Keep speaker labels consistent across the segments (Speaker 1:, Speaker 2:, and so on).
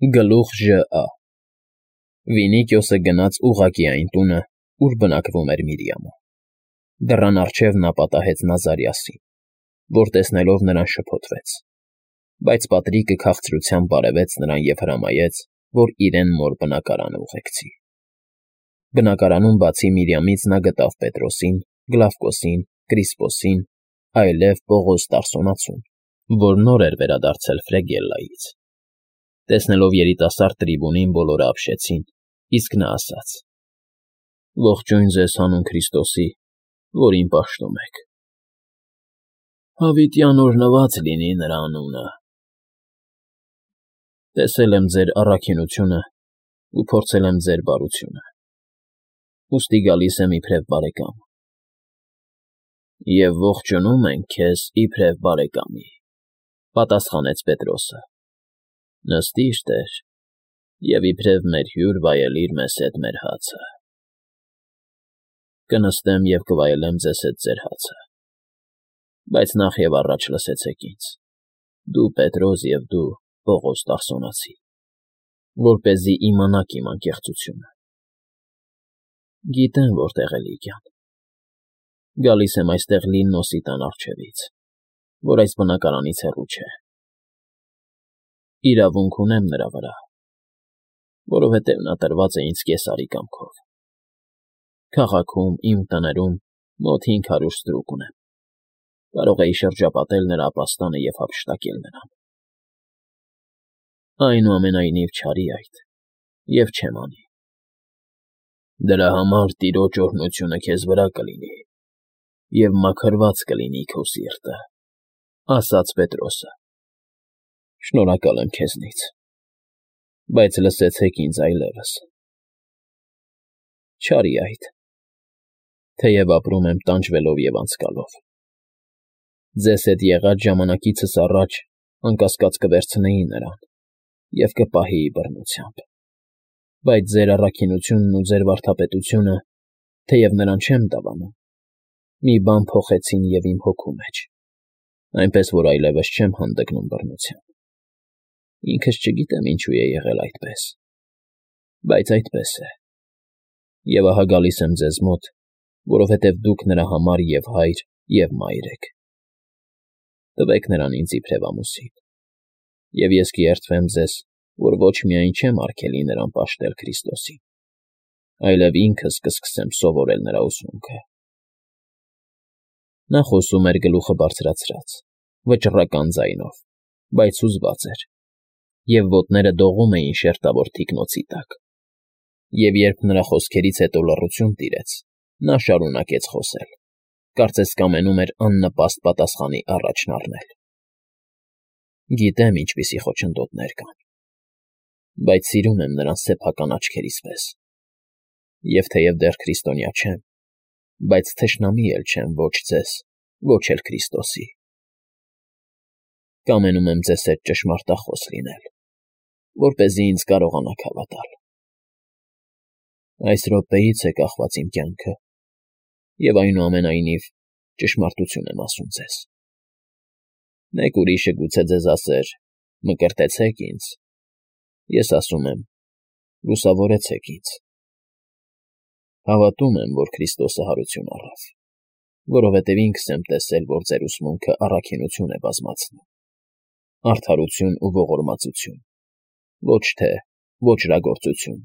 Speaker 1: Գլուխ ԺԱ Վինիկիոսը գնաց ուղղակի այն տունը, ուր բնակվում էր Միրիամը։ Դռան առջև նա պատահեց Նազարիասին, որ տեսնելով նրան շփոթվեց, բայց Պատրիկը քաղցրությամբ բարևեց նրան և հրամայեց, որ իրեն մոր բնակարանը ուղեկցի։ Բնակարանում բացի Միրիամից նա գտավ Պետրոսին, Գլավկոսին, Կրիսպոսին, այլև Պողոս Տարսոնացուն, որ նոր էր վերադարձել Ֆրեգիլլայից։ Տեսնելով երիտասարդ Տրիբունին բոլորը ապշեցին, իսկ նա ասաց. «Ողջույն ձեզ հանուն Քրիստոսի, որին պաշտում եք»։ «Հավիտյան օրհնված լինի նրա անունը»։ Տեսել եմ ձեր առաքինությունը ու փորձել եմ ձեր բարությունը, ուստի գալիս եմ իբրև բարեկամ։ «Եվ ողջունում ենք քեզ իբրև բարեկամի», պատասխանեց Պետրոսը։ «Նստիր, տեր, և իբրև մեր հյուր վայելիր մեզ հետ մեր հացը»։ «Կնստեմ և կվայելեմ ձեզ հետ ձեր հացը, բայց նախ և առաջ լսեցեք ինձ, դու Պետրոս և դու Պողոս Տարսոնացի, որպեսզի իմանաք իմ անկեղծությունը։ Գիտեմ որտեղ է Լիգիան։ Գալիս եմ այստեղ Լիննոսի տան առջևից, որ այս բնակարանից հեռու չէ։ Իրավունք ունեմ նրա վրա, որովհետև նա տրված է ինձ Կեսարի կամքով։ Քաղաքում, իմ տներում մոտ 500 ստրուկ ունեմ, կարող էի շրջապատել նրա ապաստանը և հափշտակել նրան։ Այնուամենայնիվ չարի այդ և չեմ անի։ Դրա համար տիրոջ օրհնությունը քեզ վրա կլինի և մաքրված կլինի քո սիրտը, ասաց Պետրոսը։ Շնորհակալ եմ քեզնից, բայց լսեցեք ինձ այլևս։ Չարի այդ, թեև ապրում եմ տանջվելով և անցկալով։ Ձեզ հետ եղած ժամանակիցս առաջ անկասկած կվերցնեի նրան և կպահեի բռնությամբ, բայց ձեր առաքինությունն ու ձեր վարդապետությունը, թեև նրան չեմ դավանում, մի բան փոխեցին և իմ հոգու մեջ, այնպես որ այլևս չեմ հանդգնում բռնությամբ։ Ինքս չգիտեմ ինչու է եղել այդպես, բայց այդպես է։ Եվ ահա գալիս եմ ձեզ մոտ, որովհետև դուք նրա համար և հայր, և մայր եք։ Տվեք նրան ինձ իբրև ամուսին, և ես կերդվեմ ձեզ, որ ոչ միայն չեմ արգելի նրան պաշտել Քրիստոսին, այլև ինքս կսկսեմ սովորել նրա ուսմունքը։ Նա խոսում էր գլուխը բարձրացրած, վճռական ձայնով, բայց հուզված էր, և ոտները դողում էին շերտավոր թիկնոցի տակ։ Եվ երբ նրա խոսքերից հետո լռություն տիրեց, նա շարունակեց խոսել, կարծես կամենում էր աննպաստ պատասխանի առաջն առնել. Գիտեմ ինչպիսի խոչընդոտներ կան, բայց սիրում եմ նրան սեփական աչքերիս պես, և թեև դեռ քրիստոնյա չեմ, բայց թշնամի էլ չեմ ոչ ձեզ, ոչ էլ Քրիստոսի։ Կամենում եմ ձեզ հետ ճշմարտախոս լինել, որպեսզի ինձ կարողանաք հավատալ։ Այս րոպեից է կախված իմ կյանքը, և այնուամենայնիվ ճշմարտություն եմ ասում ձեզ։ Մեկ ուրիշը գուցե ձեզ ասեր. «Մկրտեցեք ինձ», ես ասում եմ. «Լուսավորեցեք ինձ»։ Հավատում եմ, որ Քրիստոսը հարություն առավ, որովհետև ինքս եմ տեսել, որ ձեր ուսմունքը առաքինություն է բազմացնում, արդարություն ու ողորմածություն, ոչ թե ոճրագործություն,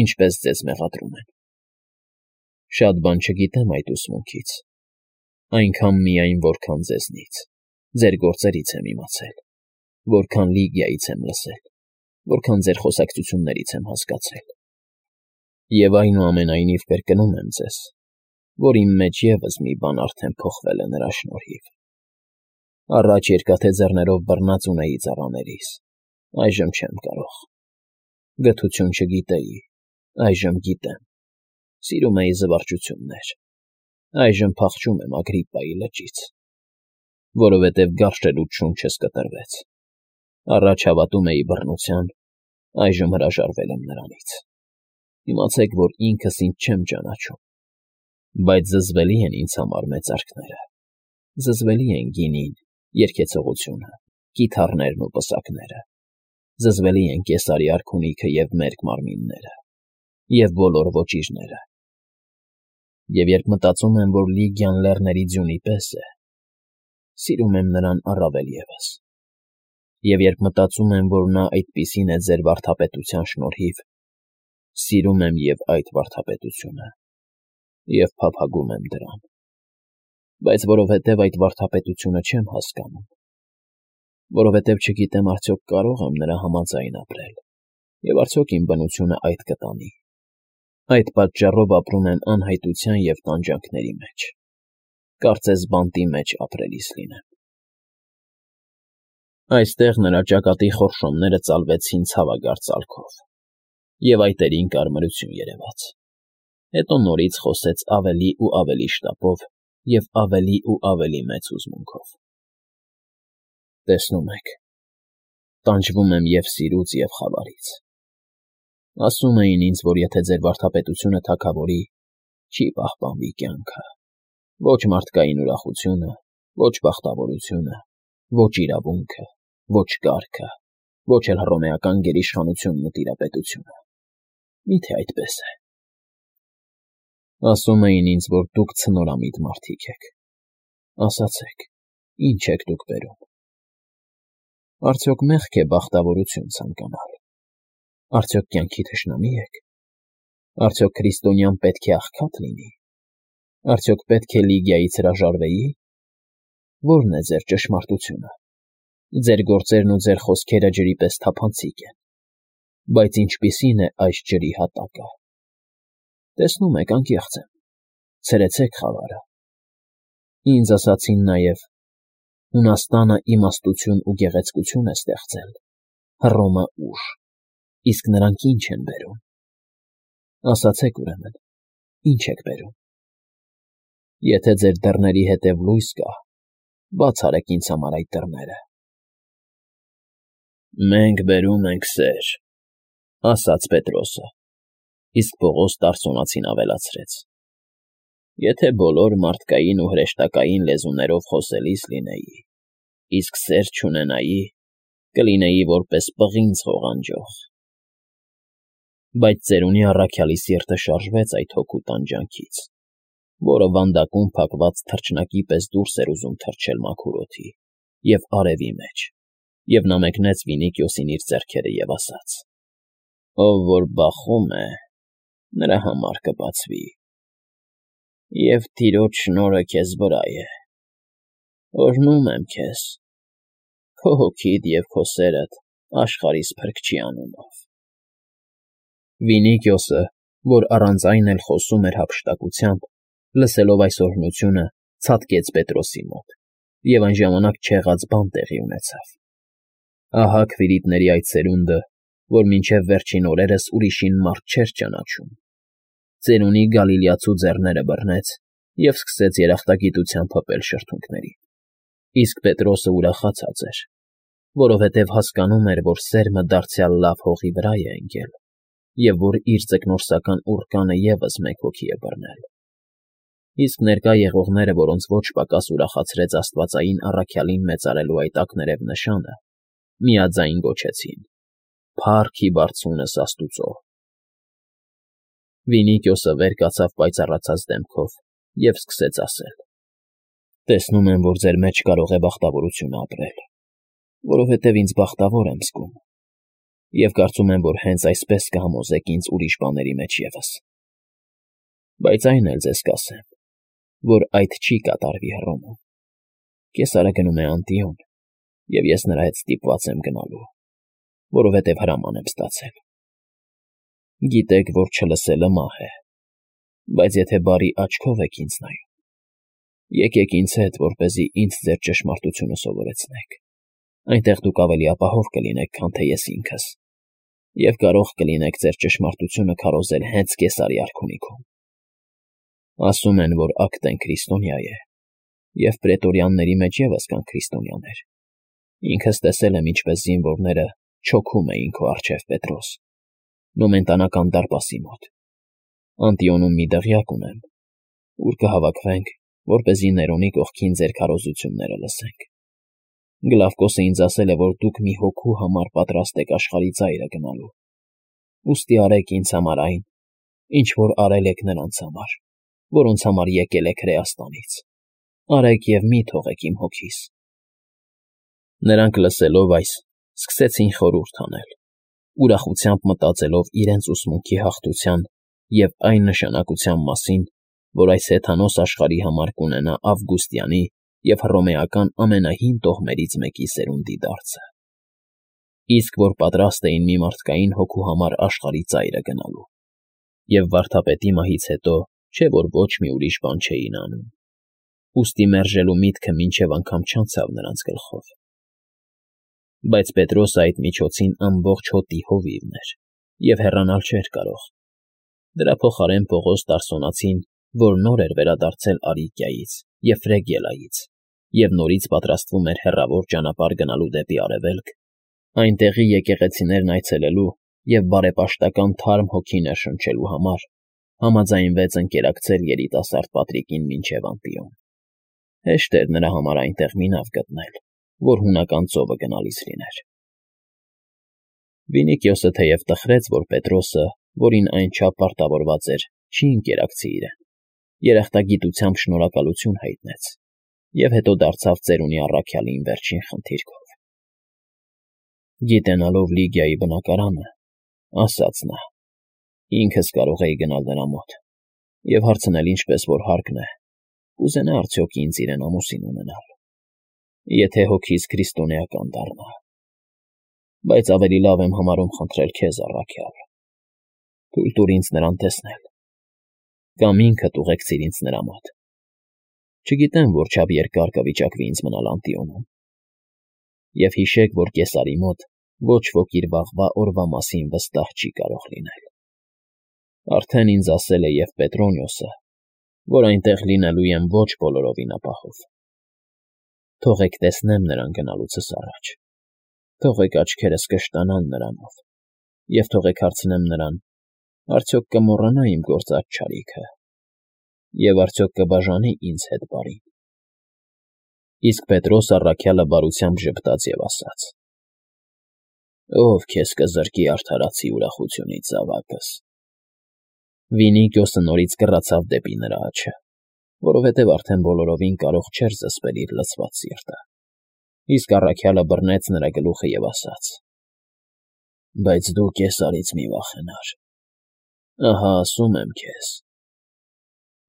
Speaker 1: ինչպես ձեզ մեղադրում են։ Շատ բան չգիտեմ այդ ուսմունքից, այնքան միայն, որքան ձեզնից, ձեր գործերից եմ իմացել, որքան Լիգիայից եմ լսել, որքան ձեր խոսակցություններից եմ հասկացել։ Եվ այնուամենայնիվ կրկնում եմ ձեզ, որ իմ մեջ ևս մի բան արդեն փոխվել է նրա շնորհիվ։ Առաջ երկաթե ձեռներով բռնած ունեի ծառաներիս, այժմ չեմ կարող։ Գթություն չգիտեի, այժմ գիտեմ։ Սիրում էի զվարճություններ, այժմ փախչում եմ Ագրիպպայի լճից, որովհետև գարշ-ելուտ շունչս կտրվեց։ Առաջ հավատում էի բռնության, այժմ հրաժարվել եմ նրանից։ Իմացեք, որ ինքս ինձ չեմ ճանաչում, բայց զզվելի են ինձ համար մեծարքները, զզվելի են գինին, երգեցողությունը, կիթառներն ու պսակները։ զզվելի են Կեսարի արքունիքը և մերկ մարմինները, և բոլոր ոճիրները։ Եվ երբ մտածում եմ, որ Լիգիան լեռների ձյունի պես է, սիրում եմ նրան առավել ևս։ Եվ երբ մտածում եմ, որ նա այդպիսին է ձեր վարդապետության շնորհիվ, սիրում եմ և այդ վարդապետությունը, և փափագում եմ դրան։ Բայց որովհետև այդ վարդապետությունը չեմ հասկանում, որովհետև չգիտեմ արդյոք կարող եմ նրա համաձայն ապրել, և արդյոք իմ բնությունը այդ կտանի, այդ պատճառով ապրում եմ անհայտության և տանջանքների մեջ, կարծես բանտի մեջ ապրելիս լինեմ։ Այստեղ նրա ճակատի խորշոմները ծալվեցին ցավագարծ ալքով, և այտերին կարմրություն երևաց։ Հետո նորից խոսեց ավելի ու ավելի շտապով և ավելի ու ավելի մեծ հուզմունքով. «Տեսնում եք, տանջվում եմ և սիրուց, և խավարից։ Ասում էին ինձ, որ եթե ձեր վարդապետությունը թագավորի, չի պահպանվի կյանքը, ոչ մարդկային ուրախությունը, ոչ բախտավորությունը, ոչ իրավունքը, ոչ կարգը, ոչ էլ հռոմեական գերիշխանությունն ու տիրապետությունը։ Մի՞թե այդպես է։ Ասում էին ինձ, որ դուք ցնորամիտ մարդիկ եք։ Ասացեք, ի՞նչ եք դուք բերում։ Արդյոք մեղք է բախտավորություն ցանկանալ։ Արդյոք կյանքի թշնամի եք։ Արդյոք քրիստոնյան պետք է աղքատ լինի։ Արդյոք պետք է Լիգիայից հրաժարվեի։ Ո՞րն է ձեր ճշմարտությունը։ Ձեր գործերն ու ձեր խոսքերը ջրի պես թափանցիկ են, բայց ինչպիսի՞ն է այս ջրի հատակը։ Տեսնում եք, անկեղծ եմ, ցրեցեք խավարը։ Ինձ ասացին նաև. Հունաստանը իմաստություն ու գեղեցկություն է ստեղծել, Հռոմը ուժ, իսկ նրանք ի՞նչ են բերում։ Ասացեք ուրեմն, ի՞նչ եք բերում։ Եթե ձեր դռների հետև լույս կա, բաց արեք ինձ համար այդ դռները։ Մենք բերում ենք սեր, ասաց Պետրոսը, իսկ Պողոս Տարսոնացին ավելացրեց. Եթե բոլոր մարդկային ու հրեշտակային լեզուներով խոսելիս լինեի, իսկ սեր չունենայի, կլինեի որպես պղինձ ղողանջող։ Բայց ծերունի առաքյալի սիրտը շարժվեց այդ հոգու տանջանքից, որը վանդակում փակված թռչնակի պես դուրս էր ուզում թռչել մաքուր օդի և արևի մեջ, և նա մեկնեց Վինիկիոսին իր ձեռքերը և ասաց. Ով որ բախում է, նրա համար կբացվի, և Տիրոջ շնորհը քեզ վրա է։ Օրհնում եմ քեզ, քո հոգիդ և քո սերդ աշխարհիս Փրկչի անունով։ Վինիկիոսը, որ առանց այն էլ խոսում էր հափշտակությամբ, լսելով այս օրհնությունը, ցատկեց Պետրոսի մոտ, և այն ժամանակ չեղած բան տեղի ունեցավ։ Ահա քվիրիտների այդ սերունդը, որ մինչև վերջին օրերս ուրիշին մարդ չէր ճանաչում, ծերունի Գալիլեացու ձեռները բռնեց և սկսեց երախտագիտությամբ հպել շրթունքներին։ Իսկ Պետրոսը ուրախացած էր, որովհետև հասկանում էր, որ սերմը դարձյալ լավ հողի վրա է ընկել, և որ իր ձկնորսական ուռկանը ևս մեկ հոգի է բռնել։ Իսկ ներկա եղողները, որոնց ոչ պակաս ուրախացրեց աստվածային առաքյալին մեծարելու այդ ակներև նշանը, միաձայն գոչեցին. «Փա՜ռք ի բարձունս Աստուծո»։ Վինիկիոսը վեր կացավ պայծառացած դեմքով և սկսեց ասել. Տեսնում եմ, որ ձեր մեջ կարող է բախտավորությունը ապրել, որովհետև ինձ բախտավոր եմ զգում, և կարծում եմ, որ հենց այսպես կհամոզեք ինձ ուրիշ բաների մեջ ևս։ Բայց այն էլ ձեզ կասեմ, որ այդ չի կատարվի Հռոմում։ Կեսարը գնում է Անտիոն, և ես նրա հետ ստիպված եմ գնալու, որովհետև հրաման եմ ստացել։ Գիտեք, որ չլսելը մահ է, բայց եթե բարի աչքով եք ինձ նայում, եկեք ինձ հետ, որպեսզի ինձ ձեր ճշմարտությունը սովորեցնեք, այնտեղ դուք ավելի ապահով կլինեք, քան թե ես ինքս, և կարող կլինեք ձեր ճշմարտությունը քարոզել հենց Կեսարի արքունիքում։ Ասում են, որ Ակտեն քրիստոնյա է, և պրետորյանների մեջ ևս կան քրիստոնյաներ։ Ինքս տեսել եմ, ինչպես զինվորները չոքում էին քո առջև, Պետրոս, Նոմենտանական դարպասի մոտ։ Անտիոնում մի դղյակ ունեմ, ուր կհավաքվենք, որպեսզի Ներոնի կողքին ձեր քարոզությունները լսենք։ Գլավկոսը ինձ ասել է, որ դուք մի հոգու համար պատրաստ եք աշխարհի ծայրը գնալու։ Ուստի արեք ինձ համար այն, ինչ որ արել եք նրանց համար, որոնց համար եկել եք Հրեաստանից։ Արեք և մի թողեք իմ հոգիս։ Նրանք լսելով այս, սկսեցին խորհուրդ անել, ուրախությամբ մտածելով իրենց ուսմունքի հաղթության և այն նշանակության մասին, որ այս հեթանոս աշխարհի համար կունենա Ավգուստյանի և հռոմեական ամենահին տոհմերից մեկի սերունդի դարձը, իսկ որ պատրաստ էին մի մարդկային հոգու համար աշխարհի ծայրը գնալու, և վարդապետի մահից հետո չէ որ ոչ մի ուրիշ բան չէին անում, ուստի մերժելու միտքը մինչև անգամ չանցավ նրանց գլխով։ Բայց Պետրոսը այդ միջոցին ամբողջ հոտի հովիվն էր և հեռանալ չէր կարող։ Դրա փոխարեն Պողոս Տարսոնացին, որ նոր էր վերադարձել Արիկիայից և Ֆրեգիլայից և նորից պատրաստվում էր հեռավոր ճանապարհ գնալու դեպի արևելք, այնտեղի եկեղեցիներն այցելելու և բարեպաշտական թարմ հոգի ներշնչելու համար, համաձայնվեց ընկերակցել երիտասարդ Պատրիկին մինչև Անտիոն։ Հեշտ էր նրա համար այնտեղ մի նավ գտնել, որ հունական ծովը գնալիս լիներ։ Վինիկիոսը թեև տխրեց, որ Պետրոսը, որին այնչափ պարտավորված էր, չի ընկերակցի իրեն, երախտագիտությամբ շնորհակալություն հայտնեց և հետո դարձավ ծերունի առաքյալին վերջին խնդիրքով։ Գիտենալով Լիգիայի բնակարանը, ասաց նա, ինքս կարող էի գնալ նրա մոտ և հարցնել ինչպես որ հարկն է, կուզենա արդյոք ինձ իրեն ամուսին ունենալ, եթե հոգիս քրիստոնեական դառնա, բայց ավելի լավ եմ համարում խնդրել քեզ, առաքյալ, թույլ տուր ինձ նրան տեսնել, կամ ինքդ ուղեկցիր ինձ նրա մոտ։ Չգիտեմ որչափ երկար կվիճակվի ինձ մնալ Անտիոնում։ Եվ հիշեք, որ Կեսարի մոտ ոչ ոք իր վաղվա օրվա մասին վստահ չի կարող լինել։ Արդեն ինձ ասել է և Պետրոնիոսը, որ այնտեղ լինելու եմ ոչ բոլորովին ապահով։ Թողեք տեսնեմ նրան գնալուցս առաջ, թողեք աչքերս կշտանան նրանով, և թողեք հարցնեմ նրան, արդյոք կմոռանա իմ գործած չարիքը, և արդյոք կբաժանի ինձ հետ բարին։ Իսկ Պետրոս առաքյալը բարությամբ ժպտաց և ասաց. Ով քեզ կզրկի արդարացի ուրախությունից, զավակս։ Վինիկիոսը նորից կռացավ դեպի նրա աջը, որովհետև արդեն բոլորովին կարող չէր զսպել իր լցված սիրտը, իսկ առաքյալը բռնեց նրա գլուխը և ասաց. Բայց դու Կեսարից մի վախենար, ահա ասում եմ քեզ,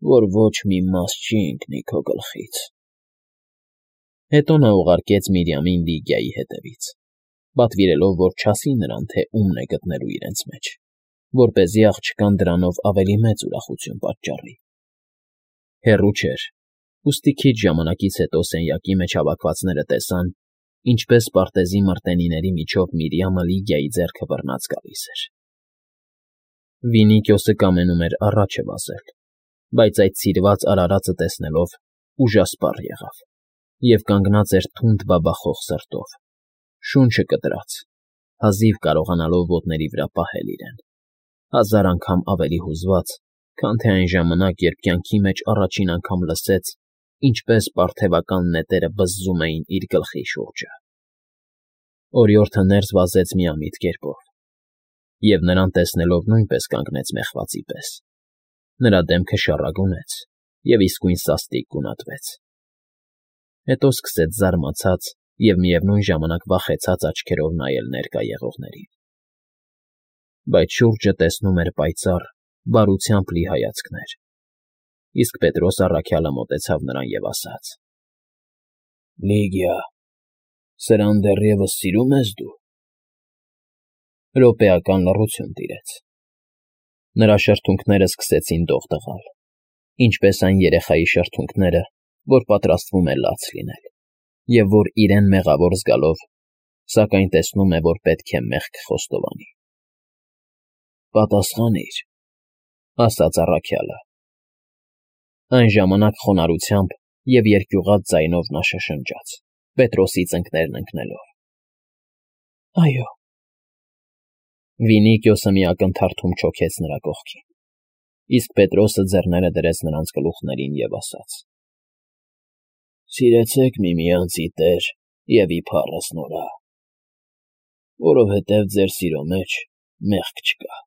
Speaker 1: որ ոչ մի մաս չի ընկնի քո գլխից։ Հետո նա ուղարկեց Միրիամին Լիգիայի հետևից, պատվիրելով, որ չասի նրան, թե ումն է գտնելու իրենց մեջ, որպեսզի աղջկան դրանով ավելի մեծ ուրախություն պատճառի։ Հեռու չէր, ուստի քիչ ժամանակից հետո սենյակի մեջ հավաքվածները տեսան, ինչպես պարտեզի մրտենիների միջով Միրիամը Լիգիայի ձեռքը բռնած գալիս էր։ Վինիկիոսը կամենում էր առաջը վազել, բայց այդ սիրված արարածը տեսնելով ուժասպառ եղավ և կանգնած էր թունդ բաբախող սրտով, շունչը կտրած, հազիվ կարողանալով ոտների վրա պահել իրեն, հազար անգամ ավելի հուզված, քան թե այն ժամանակ, երբ կյանքի մեջ առաջին անգամ լսեց, ինչպես պարթևական նետերը բզզում էին իր գլխի շուրջը։ Օրիորդը ներս վազեց միամիտ կերպով, և նրան տեսնելով նույնպես կանգնեց մեղվածի պես։ Նրա դեմքը շառագունեց և իսկույն սաստիկ գունատվեց։ Հետո սկսեց զարմացած և միևնույն ժամանակ վախեցած աչքերով նայել ներկա եղողներին։ Բայց շուրջը տեսնում էր պայծառ, բարությամբ լի հայացքներ, իսկ Պետրոս առաքյալը մոտեցավ նրան և ասաց. Լիգիա, սրան դեռևս սիրում ես դու։ Րոպեական լռություն տիրեց։ Նրա շրթունքները սկսեցին դող տղալ, ինչպես այն երեխայի շրթունքները, որ պատրաստվում է լաց լինել, և որ իրեն մեղավոր զգալով, սակայն տեսնում է, որ պետք է մեղք խոստովանի։ Պատասխանիր, ասաց առաքյալը։ Այն ժամանակ խոնարհությամբ և երկյուղած ձայնով նա շշնջաց, Պետրոսի ծնկներն ընկնելով. Այո։ Վինիկիոսը մի ակնթարթում չոքեց նրա կողքին, իսկ Պետրոսը ձեռները դրեց նրանց գլուխներին և ասաց. Սիրեցեք միմյանց ի Տեր Եվ իբարս նորա, որովհետև ձեր սիրո մեջ մեղք չկա։